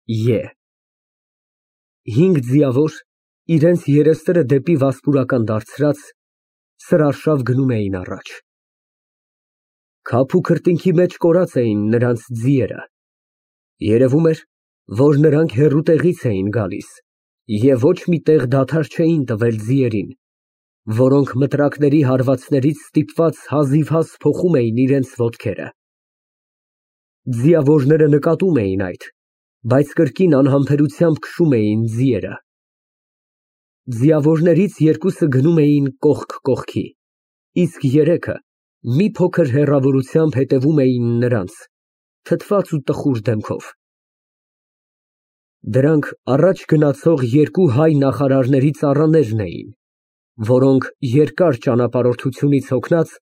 Է։ 5 ձիավոր, իրենց երեսները դեպի վասպուրական դարձրած, սրարշավ գնում էին առաջ։ Քափ ու քրտինքի մեջ կորած էին նրանց ձիերը, երևում էր, որ նրանք հեռու տեղից էին գալիս և ոչ մի տեղ դադար չէին տվել ձիերին, որոնք մտրակների հարվածներից ստիպված հազիվհազ փոխում էին իրենց ոտքերը։ Ձիավորները նկատում էին այդ, բայց կրկին անհամբերությամբ քշում էին ձիերը։ Ձիավորներից երկուսը գնում էին կողք կողքի, իսկ երեքը մի փոքր հեռավորությամբ հետևում էին նրանց, թթված ու տխուր դեմքով։ Դրանք առաջ գնացող երկու հայ նախարարների ծառաներն էին, որոնք երկար ճանապարհորդությունից հոգնած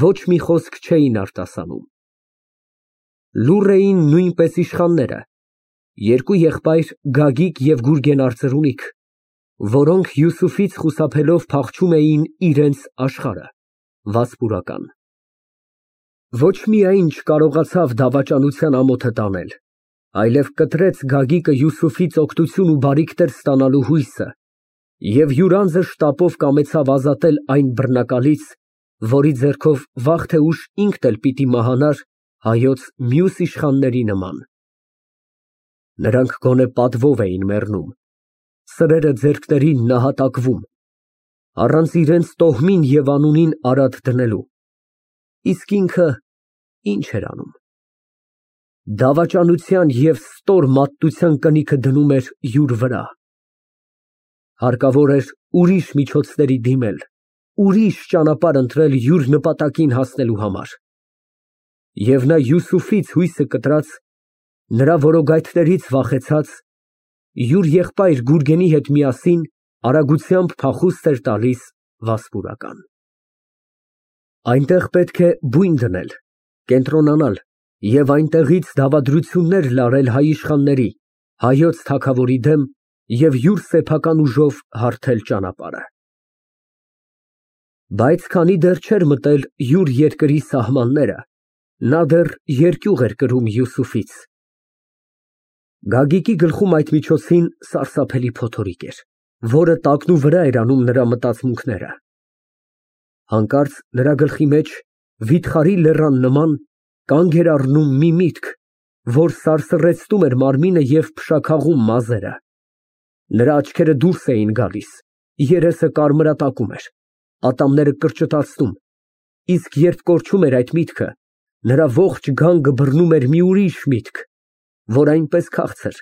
ոչ մի խոսք չէին արտասանում։ Լուռ էին նույնպես իշխանները, երկու եղբայր Գագիկ և Գուրգեն արծրունիք, որոնք Յուսուֆից խուսափելով փախչում էին իրենց աշխարհը, վասպուրական։ Ոչ միայն չկարողացավ դավաճանության ամոթը տանել, այլև կտրեց Գագիկը Յուսուֆից օգնություն ու բարիքներ ստանալու հույսը և յուր անձը շտապով կամեցավ ազատել այն բռնակալից, որի ձեռքով վաղ թե ուշ ինքն էլ պիտի մահանար հայոց մյուս իշխանների նման։ Նրանք գոնե պատվով էին մեռնում, սրերը ձեռքներին նահատակվում, առանց իրենց տոհմին և անունին արատ դնելու, իսկ ինքը ինչ էր անում։ Դավաճանության և ստոր մատտության կնիքը դնում էր յուր վրա։ Հարկավոր էր ուրիշ միջոցների դիմել, ուրիշ ճանապարհ ընտրել յուր նպատակին հասնելու համար։ Եվ նա Յուսուֆից հույսը կտրած, նրա որոգայթներից վախեցած, յուր եղբայր Գուրգենի հետ միասին արագությամբ փախուստ էր տալիս վասպուրական։ Այնտեղ պետք է բույն դնել, կենտրոնանալ և այնտեղից դավադրություններ լարել հայ իշխանների, հայոց թագավորի դեմ և յուր սեփական ուժով հարթել ճանապարհը։ Բայց քանի դեռ չէր մտել յուր երկրի սահմանները, նա դեռ երկյուղ էր կրում Յուսուֆից։ Գագիկի գլխում այդ միջոցին սարսափելի փոթորիկ էր, որը տակնուվրա էր անում նրա մտածմունքները։ Հանկարծ նրա գլխի մեջ, վիթխարի լեռան նման, կանգ էր առնում մի միտք, որ սարսռեցնում էր մարմինը և փշաքաղում մազերը։ Նրա աչքերը դուրս էին գալիս, երեսը կարմրատակում էր, ատամները կրճտացնում, իսկ երբ կորչում էր այդ միտքը, նրա ողջ գանգը բռնում էր մի ուրիշ միտք, որ այնպես քաղցր,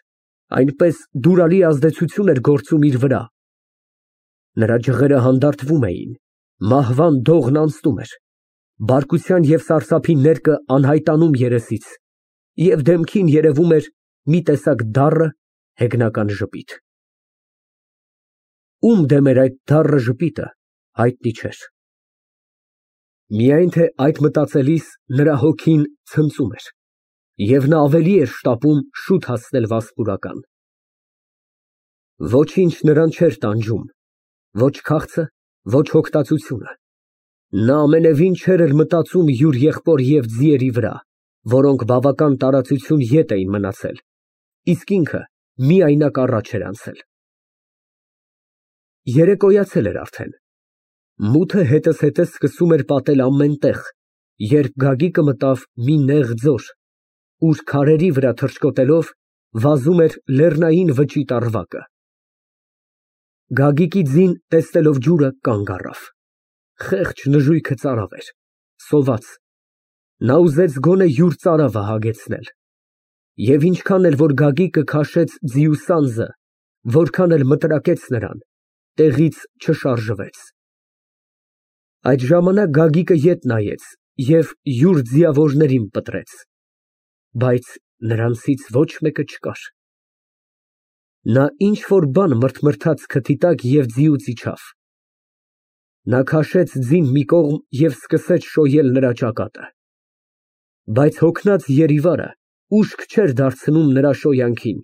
այնպես դուրալի ազդեցություն էր գործում իր վրա։ Նրա ջղերը հանդարտվում էին, մահվան դողն անցնում էր, բարկության և սարսափի ներկը անհայտանում երեսից, և դեմքին երևում էր մի տեսակ դառը, հեգնական ժպիտ։ Ում դեմ էր այդ դառը ժպիտը, հայտնի չէր։ Միայն թե այդ մտածելիս նրա հոգին ցնծում էր, և նա ավելի էր շտապում շուտ հասնել վասպուրական։ Ոչինչ նրան չէր տանջում, ոչ քաղցը, ոչ հոգտածությունը։ Նա ամենևին չէր էլ մտածում յուր եղբոր և ձիերի վրա, որոնք բավական տարածություն ետ էին մնացել, իսկ ինքը միայնակ առաջ էր անցել։ Երեկոյացել էր արդեն։ Մութը հետզհետե սկսում էր պատել ամեն տեղ, երբ Գագիկը մտավ մի նեղ ձոր, ուր քարերի վրա թռչկոտելով վազում էր լեռնային վճիտ առվակը։ Գագիկի ձին տեսնելով ջուրը, կանգ առավ։ Խեղճ նժույգը ծարավ էր, սոված։ Նա ուզեց գոնե յուր ծարավը հագեցնել։ Եվ ինչքան էլ որ Գագիկը քաշեց ձիու սանձը, որքան էլ մտրակեց նրան, տեղից չշարժվեց։ Այդ ժամանակ Գագիկը ետ նայեց և յուր ձիավորներին պտրեց, բայց նրանցից ոչ մեկը չկար։ Նա ինչ֊որ բան մրթմրթաց քթի տակ և ձիուց իջավ։ Նա քաշեց ձին մի կողմ և սկսեց շոյել նրա ճակատը։ Բայց հոգնած երիվարը ուշք չէր դարձնում նրա շոյանքին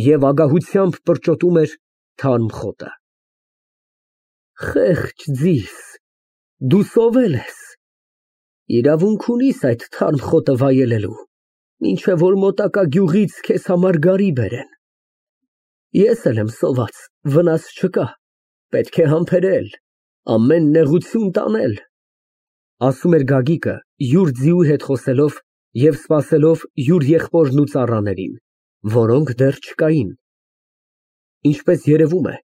և ագահությամբ պրճոտում էր թարմ խոտը։ Խեղճ ձիս, դու սովել ես, իրավունք ունիս այդ թարմ խոտը վայելելու, մինչև որ մոտակա գյուղից քեզ համար գարի բերեն։ Ես էլ եմ սոված, վնաս չկա, պետք է համբերել, ամեն նեղություն տանել, ասում էր Գագիկը, յուր ձիու հետ խոսելով և սպասելով յուր եղբորն ու ծառաներին, որոնք դեռ չկային, ինչպես երևում է,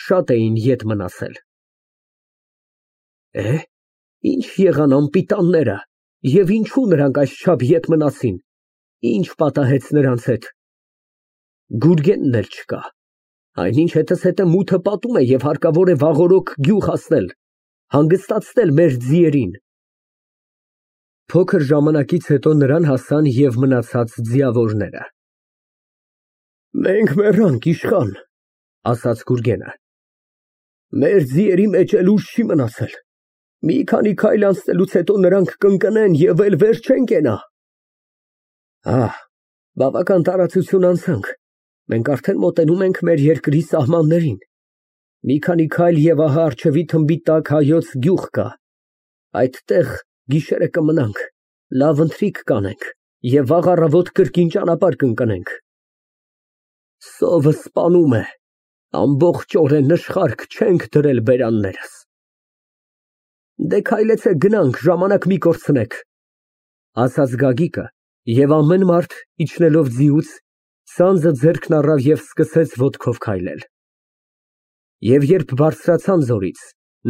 շատ էին ետ մնացել։ Ինչ եղան անպիտանները, և ինչու նրանք այսչափ ետ մնացին, ինչ պատահեց նրանց հետ։ Գուրգենն էլ չկա, այնինչ հետզհետե մութը պատում է և հարկավոր է վաղօրոք գյուղ հասնել, հանգստացնել մեր ձիերին։ Փոքր ժամանակից հետո նրան հասան և մնացած ձիավորները։ Մենք մեռանք, իշխան, ասաց Գուրգենը, մեր ձիերի մեջ էլ ուժ չի մնացել, մի քանի քայլ անցնելուց հետո նրանք կընկնեն և էլ վեր չեն կենա։ Բավական տարածություն անցանք, մենք արդեն մոտենում ենք մեր երկրի սահմաններին, մի քանի քայլ և ահա առջևի թմբի տակ հայոց գյուղ կա, այդտեղ գիշերը կմնանք, լավ ընթրիք կանենք և վաղ առավոտ կրկին ճանապարհ կընկնենք։ Սովը սպանում է, ամբողջորեն նշխարք չենք դրել բերաններս։ Դե քայլեցեք գնանք, ժամանակ մի կորցնեք, ասաց Գագիկը, և ամեն մարդ իջնելով ձիուց, սանձը ձեռքն առավ և սկսեց ոտքով քայլել։ Եվ երբ բարձրացան ձորից,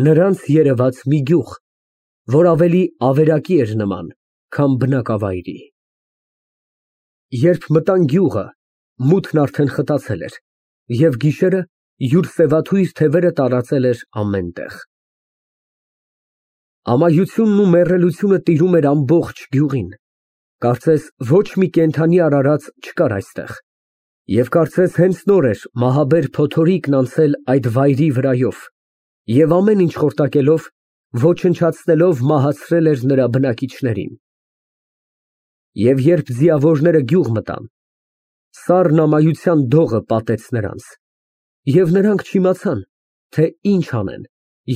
նրանց երևաց մի գյուղ, որ ավելի ավերակի էր նման, քան բնակավայրի։ Երբ մտան գյուղը, մութն արդեն խտացել էր, և գիշերը յուր սևաթույր թևերը տարածել էր ամեն տեղ։ Ամայությունն ու մեռելությունը տիրում էր ամբողջ գյուղին, կարծես ոչ մի կենդանի արարած չկար այստեղ, և կարծես հենց նոր էր մահաբեր փոթորիկն անցել այդ վայրի վրայով և ամեն ինչ խորտակելով, ոչնչացնելով մահացրել էր նրա բնակիչներին։ Եվ երբ ձիավորները գյուղ մտան, սառն ամայության դողը պատեց նրանց, և նրանք չիմացան, թե ինչ անեն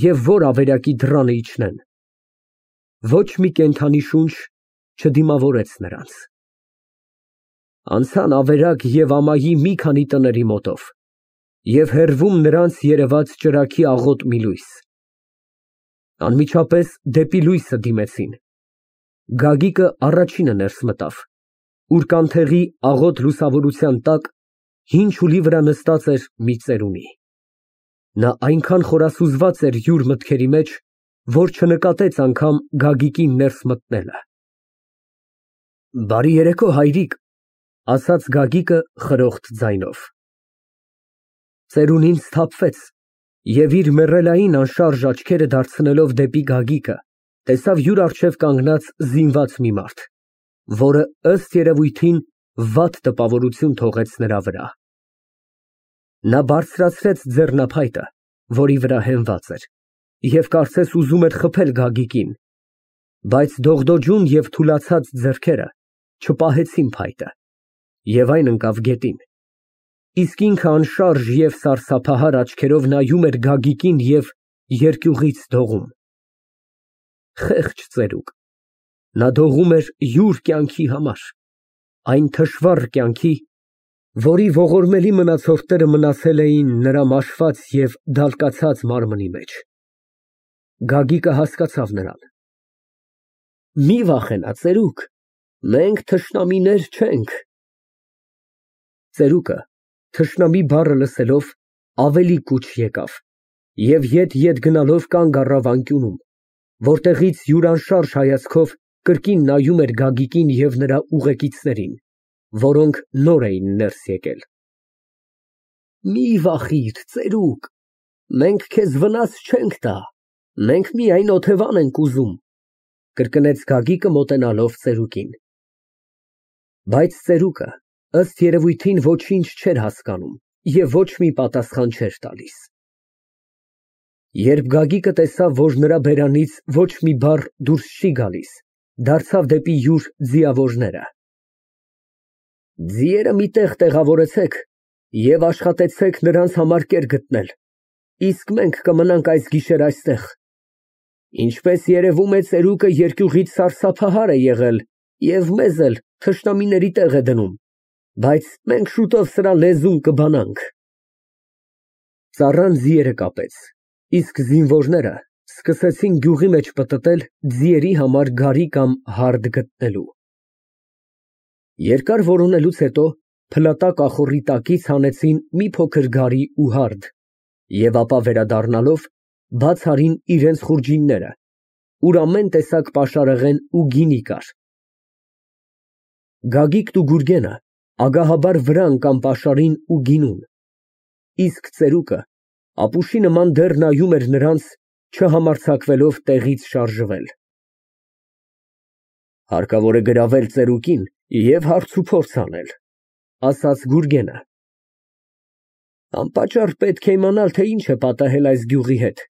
և որ ավերակի դռանը իջնեն։ Ոչ մի կենդանի շունչ չդիմավորեց նրանց։ Անցան ավերակ և ամայի մի քանի տների մոտով, և հեռվում նրանց երևաց ճրագի աղոտ մի լույս։ Անմիջապես դեպի լույսը դիմեցին։ Գագիկը առաջինը ներս մտավ, ուր կանթեղի աղոտ լուսավորության տակ հին չուլի վրա նստած էր մի ծերունի։ Նա այնքան խորասուզված էր յուր մտքերի մեջ, որ չնկատեց անգամ Գագիկին ներս մտնելը։ Բարի երեկո, հայրիկ, ասաց Գագիկը խրոխտ ձայնով։ Ծերունին սթափվեց և իր մեռելային անշարժ աչքերը դարձնելով դեպի Գագիկը, տեսավ յուր առջև կանգնած զինված մի մարդ, որը ըստ երևույթին վատ տպավորություն թողեց նրա վրա։ Նա բարձրացրեց ձեռնափայտը, որի վրա հենված էր, և կարծես ուզում էր խփել Գագիկին, բայց դողդոջուն և թուլացած ձեռքերը չպահեցին փայտը, և այն ընկավ գետին, իսկ ինքը անշարժ և սարսափահար աչքերով նայում էր Գագիկին և երկյուղից դողում։ Խեղճ ծերուկ, նա դողում էր յուր կյանքի համար, այն թշվառ կյանքի, որի ողորմելի մնացորդները մնացել էին նրա մաշված և դալկացած մարմնի մեջ։ Գագիկը հասկացավ նրան։ Մի վախենա, ծերուկ, մենք թշնամիներ չենք։ Ծերուկը, թշնամի բառը լսելով, ավելի կուչ եկավ և ետ գնալով կանգ առավ անկյունում, որտեղից յուր անշարժ հայացքով կրկին նայում էր Գագիկին և նրա ուղեկիցներին, որոնք նոր էին ներս եկել։ Մի վախիր, ծերուկ, մենք քեզ վնաս չենք տա, մենք միայն օթևան ենք ուզում, կրկնեց Գագիկը մոտենալով ծերուկին։ Բայց ծերուկը, ըստ երևույթին, ոչինչ չէր հասկանում և ոչ մի պատասխան չէր տալիս։ Երբ Գագիկը տեսավ, որ նրա բերանից ոչ մի բառ դուրս չի գալիս, դարձավ դեպի յուր ձիավորները։ Ձիերը մի տեղ տեղավորեցեք և աշխատեցեք նրանց համար կեր գտնել, իսկ մենք կմնանք այս գիշեր այստեղ։ Ինչպես երևում է, ծերուկը երկյուղից սարսափահար է եղել և մեզ էլ թշնամիների տեղ է դնում, բայց մենք շուտով սրա լեզուն կբանանք։ Ծառան ձիերը կապեց, իսկ զինվորները սկսեցին գյուղի մեջ պտտել ձիերի համար գարի կամ հարդ գտնելու։ Երկար որոնելուց հետո փլատա կախորի տակից հանեցին մի փոքր գարի ու հարդ և ապա վերադառնալով բաց արին իրենց խուրջինները, ուր ամեն տեսակ պաշարեղեն ու գինի կար։ Գագիկն ու Գուրգենը ագահաբար վրա ընկան պաշարին ու գինուն, իսկ ծերուկը ապուշի նման դեռ նայում էր նրանց, չհամարձակվելով տեղից շարժվել։ Հարկավոր է գրավել ծերուկին և հարցուփորձ անել, ասաց Գուրգենը։ Անպատճառ պետք է իմանալ, թե ինչ է պատահել այս գյուղի հետ,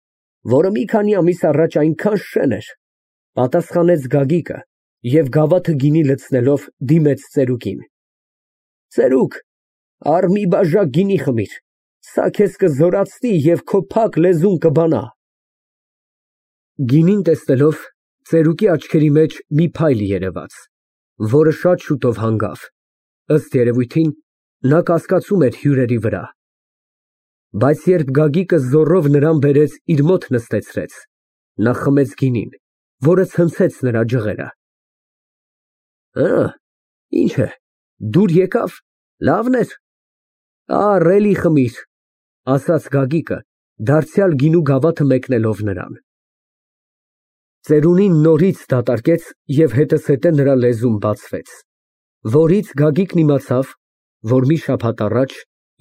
որը մի քանի ամիս առաջ այնքան շեն էր, պատասխանեց Գագիկը և գավաթը գինի լցնելով դիմեց ծերուկին։ Ծերուկ, առ մի բաժակ գինի խմիր, սա քեզ կզորացնի և քո փակ լեզուն կբանա։ Գինին տեսնելով, ծերուկի աչքերի մեջ մի փայլ երևաց, որը շատ շուտով հանգավ, ըստ երևույթին, նա կասկածում էր հյուրերի վրա։ Բայց երբ Գագիկը զոռով նրան բերեց իր մոտ նստեցրեց, նա խմեց գինին, որը ցնցեց նրա ջղերը։ Ինչ է, դուր եկավ, լավն էր։ Առ, էլի խմիր, ասաց Գագիկը, դարձյալ գինու գավաթը մեկնելով նրան։ Ծերունին նորից դատարկեց և հետզհետե նրա լեզուն բացվեց, որից Գագիկն իմացավ, որ մի շաբաթ առաջ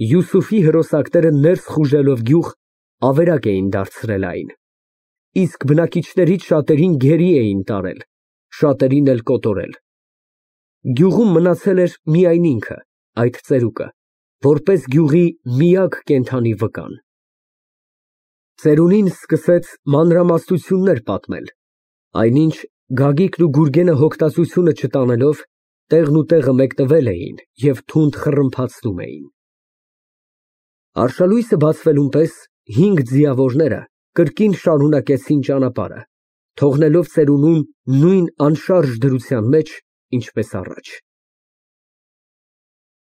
Յուսուֆի հրոսակները ներս խուժելով գյուղ ավերակ էին դարձրել այն, իսկ բնակիչներից շատերին գերի էին տարել, շատերին էլ կոտորել։ Գյուղում մնացել էր միայն ինքը, այդ ծերուկը, որպես գյուղի միակ կենդանի վկան։ Ծերունին սկսեց մանրամասնություններ պատմել, այնինչ Գագիկն ու Գուրգենը հոգտածությունը չտանելով տեղն ու տեղը մեկնվել էին և թունդ խռմփացնում էին։ Արշալույսը բացվելուն պես 5 ձիավորները կրկին շարունակեցին ճանապարհը, թողնելով ծերունուն նույն անշարժ դրության մեջ, ինչպես առաջ։